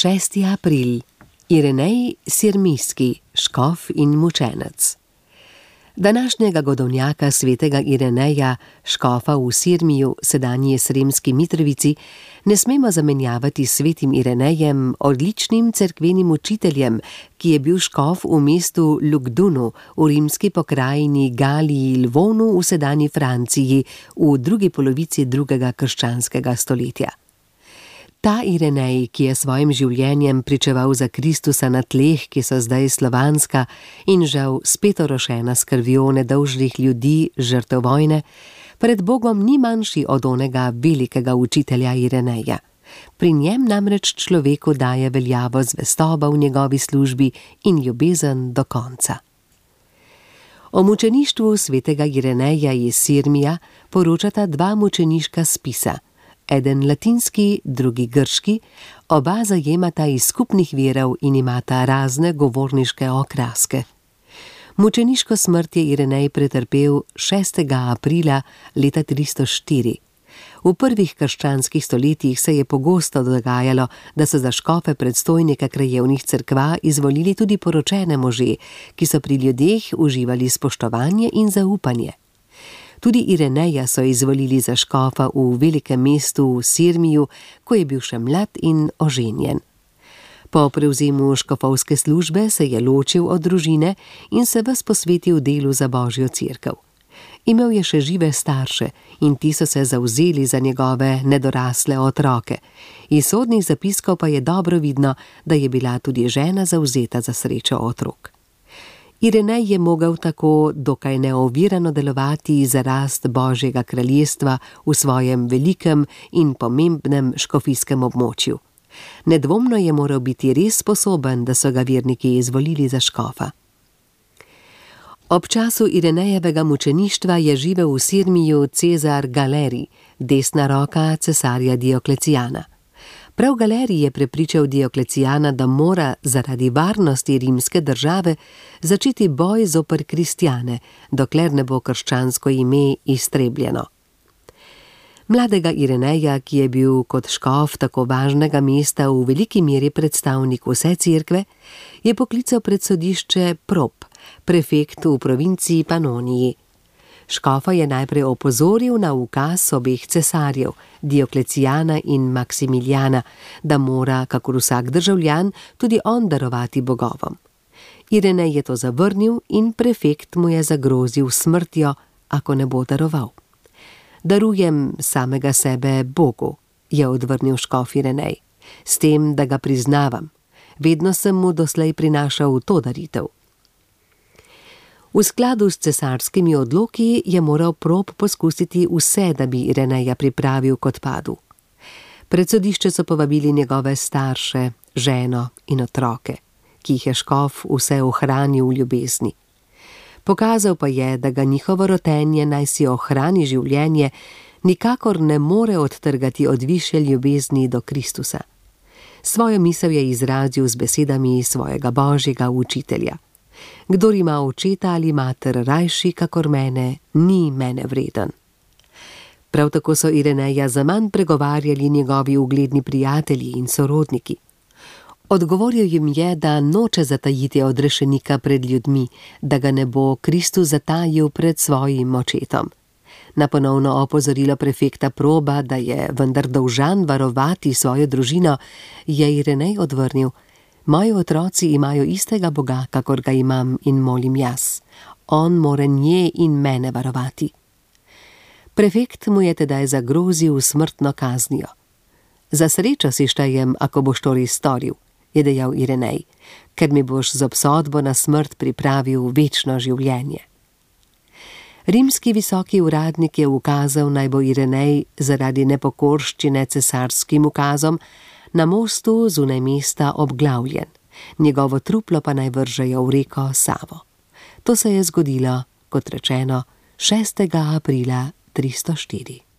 6. april. Irenej Sirmijski, škof in mučenec. Današnjega godovnjaka svetega Ireneja, škofa v Sirmiju, sedanji Sremski Mitrovici, ne smemo zamenjavati s svetim Irenejem, odličnim cerkvenim učiteljem, ki je bil škof v mestu Lugdunu v rimski pokrajini Galiji Lvonu v sedanji Franciji v drugi polovici drugega krščanskega stoletja. Ta Irenej, ki je svojim življenjem pričeval za Kristusa na tleh, ki so zdaj slovanska in žal spet orošena s krvjo nedolžnih ljudi žrtev vojne, pred Bogom ni manjši od onega velikega učitelja Ireneja. Pri njem namreč človeku daje veljavo zvestoba v njegovi službi in ljubezen do konca. O mučeništvu svetega Ireneja iz Sirmija poročata dva mučeniška spisa. Eden latinski, drugi grški, oba zajemata iz skupnih virov in imata razne govorniške okraske. Mučeniško smrt je Irenej pretrpel 6. aprila leta 304. V prvih krščanskih stoletjih se je pogosto dogajalo, da so za škofe predstojnika krajevnih cerkva izvolili tudi poročene može, ki so pri ljudeh uživali spoštovanje in zaupanje. Tudi Ireneja so izvolili za škofa v velikem mestu v Sirmiju, ko je bil še mlad in oženjen. Po prevzemu škofovske službe se je ločil od družine in se ves posvetil delu za Božjo cerkev. Imel je še žive starše in ti so se zavzeli za njegove nedorasle otroke. Iz sodnih zapiskov pa je dobro vidno, da je bila tudi žena zavzeta za srečo otrok. Irenej je mogel tako dokaj neovirano delovati za rast Božjega kraljestva v svojem velikem in pomembnem škofijskem območju. Nedvomno je moral biti res sposoben, da so ga verniki izvolili za škofa. Ob času Irenejevega mučeništva je živel v Sirmiju Cezar Galerij, desna roka cesarja Dioklecijana. Prav Galerij je prepričal Dioklecijana, da mora zaradi varnosti rimske države začeti boj zoper kristjane, dokler ne bo krščansko ime iztrebljeno. Mladega Ireneja, ki je bil kot škof tako važnega mesta v veliki meri predstavnik vse cerkve, je poklical pred sodišče Prop, prefekt v provinciji Panoniji. Škofa je najprej opozoril na ukaz obeh cesarjev, Dioklecijana in Maksimilijana, da mora, kakor vsak državljan, tudi on darovati bogovom. Irenej je to zavrnil in prefekt mu je zagrozil smrtjo, ako ne bo daroval. Darujem samega sebe Bogu, je odvrnil škof Irenej, s tem, da ga priznavam. Vedno sem mu doslej prinašal to daritev. V skladu s cesarskimi odloki je moral Prop poskusiti vse, da bi Ireneja pripravil k odpadu. Pred sodišče so povabili njegove starše, ženo in otroke, ki jih je škof vse ohranil v ljubezni. Pokazal pa je, da ga njihovo rotenje, naj si ohrani življenje, nikakor ne more odtrgati od višje ljubezni do Kristusa. Svojo misel je izrazil z besedami svojega Božjega učitelja. Kdor ima očeta ali mater rajši kakor mene, ni mene vreden. Prav tako so Ireneja zaman pregovarjali njegovi ugledni prijatelji in sorodniki. Odgovoril jim je, da noče zatajiti odrešenika pred ljudmi, da ga ne bo Kristus zatajil pred svojim očetom. Na ponovno opozorilo prefekta Proba, da je vendar dolžan varovati svojo družino, je Irenej odvrnil: moji otroci imajo istega Boga, kakor ga imam in molim jaz. On more nje in mene varovati. Prefekt mu je tedaj zagrozil smrtno kaznijo. Za srečo si štejem, ako boš to res storil, je dejal Irenej, ker mi boš z obsodbo na smrt pripravil večno življenje. Rimski visoki uradnik je ukazal, naj bo Irenej zaradi nepokorščine cesarskim ukazom na mostu zunaj mesta obglavljen, njegovo truplo pa naj vržejo v reko Savo. To se je zgodilo, kot rečeno, 6. aprila 304.